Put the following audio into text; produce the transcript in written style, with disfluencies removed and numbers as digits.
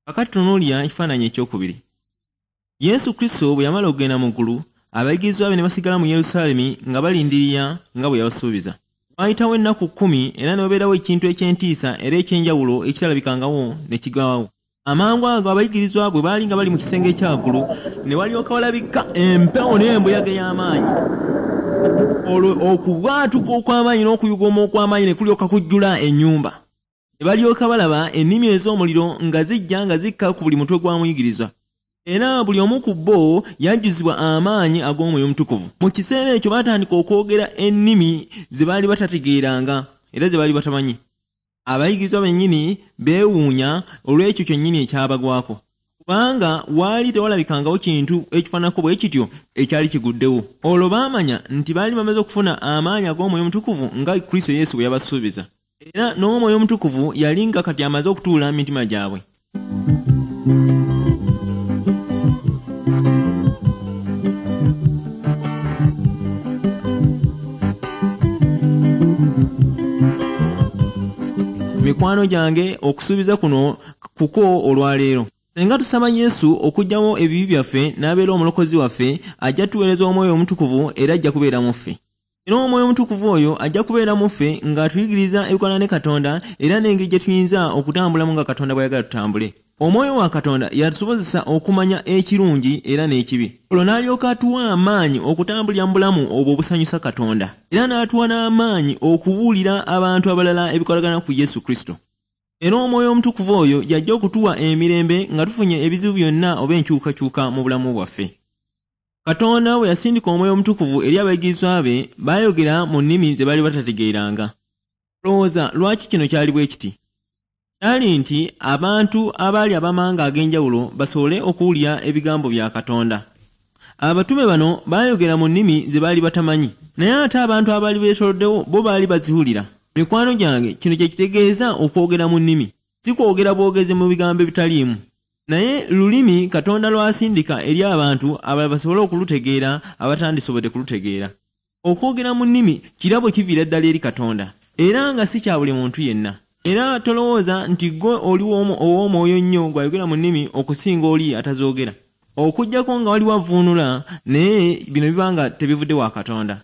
Kakati tunuulira ekifaananyi ekyokubiri. Yesu Kristo bwe yamala okugenda mu ggulu, abayigirizwa be ne basigala mu Yerusaalemi nga balindirira nga bwe yabasuubiza. Waayitawo ennaku 10 era ne wabeerawo ekintu eky'entiisa era eky'enjawulo ekitalabikangawo ne kigwawo. Amangu ago abayigirizwa bwe baali nga bali mu kisenge ekya waggulu, ne walyoka walabika empewo n'embuyaga ey'amaanyi. Olwo okubwatuka okw'amaanyi n'okuyuguuma okw'amaanyi ne kulyoka kujjula ennyumba. Ne balyoka balaba ennimi ez'omuliro nga zijja nga zikka ku buli mutwe gwa muyigirizwa. Era buli omu ku bo yajjuzibwa amaanyi ag'Omwoyo Omutukuvu. Mu kiseera ekyo baatandika okwogera ennimi ze baali batategeeranga era ze baali batamanyi. Abayigirizwa bennyini beewuunya olw'ekyo kyennyini ekyabagwako, kubanga waali tewalabikangawo kintu ekifaananako bwe kityo ekyali kiguddewo. Olwo baamanya nti baali bamaze okufuna amaanyi ag'Omwoyo Omutukuvu nga Kristo Yesu bwe yabasuubiza. Era n'Omwoyo Omutukuvu yali nga kati amaze okutuula mu mitima gyabwe. Mikwano gyange, okusuubiza kuno kuko olwaleero. Singa tusaba Yesu okuggyawo ebibi byaffe n'abeera omulokozi waffe, ajja tuweereza Omwoyo Omutukuvu era ajja kubeera mu ffe. Era Omwoyo Omutukuvu oyo ajja kubeera mu ffe ng'atuyigiriza ebikwatagana ne Katonda era n'engeri gye tuyinza okutambulamu nga Katonda bw'ayagala tutambule. Omwoyo wa Katonda y'atusobozesa okumanya ekirungi era n'ekibi. Olwo n'alyoka atuwa amaanyi okutambulira mu bulamu obwo obusanyusa Katonda. Era n'atuwa n'amaanyi okubuulira abantu abalala ebikwatagana ku Yesu Kristo. Era Omwoyo Omutukuvu oyo y'ajja okutuwa emirembe nga tufunye ebizibu byonna oba enkyukakyuka mu bulamu bwaffe. Katonda bwe yasindika Omwoyo Omutukuvu eri abayigirizwa be, baayogera mu nnimi ze baali batategeeranga. Olowooza lwaki kino kyali bwe kiti? Kyali nti abantu abaali ab'amawanga ag'enjawulo basobole okuwulira ebigambo bya Katonda. Abatume bano baayogera mu nnimi ze baali batamanyi, naye ate abantu abaali beetooloddewo bo baali baziwulira. Mikwano gyange, kino kye kitegeeza okwogera mu nnimi. Si kwogera bwogezi mu bigambo ebitaliimu, naye lulimi Katonda lw'asindika eri abantu abalala basobole okulutegeera abatandisobodde kulutegeera. Okwogera mu nnimi kirabo kiviira ddala eri Katonda era nga si kya buli muntu yenna. Era tolowooza nti ggwe oli ow'omwoyo ennyo gw'ayogera mu nnimi okusinga oli atazoogera. Okuggyako nga waliwo avvuunula, naye bino biba nga tebivudde wa Katonda.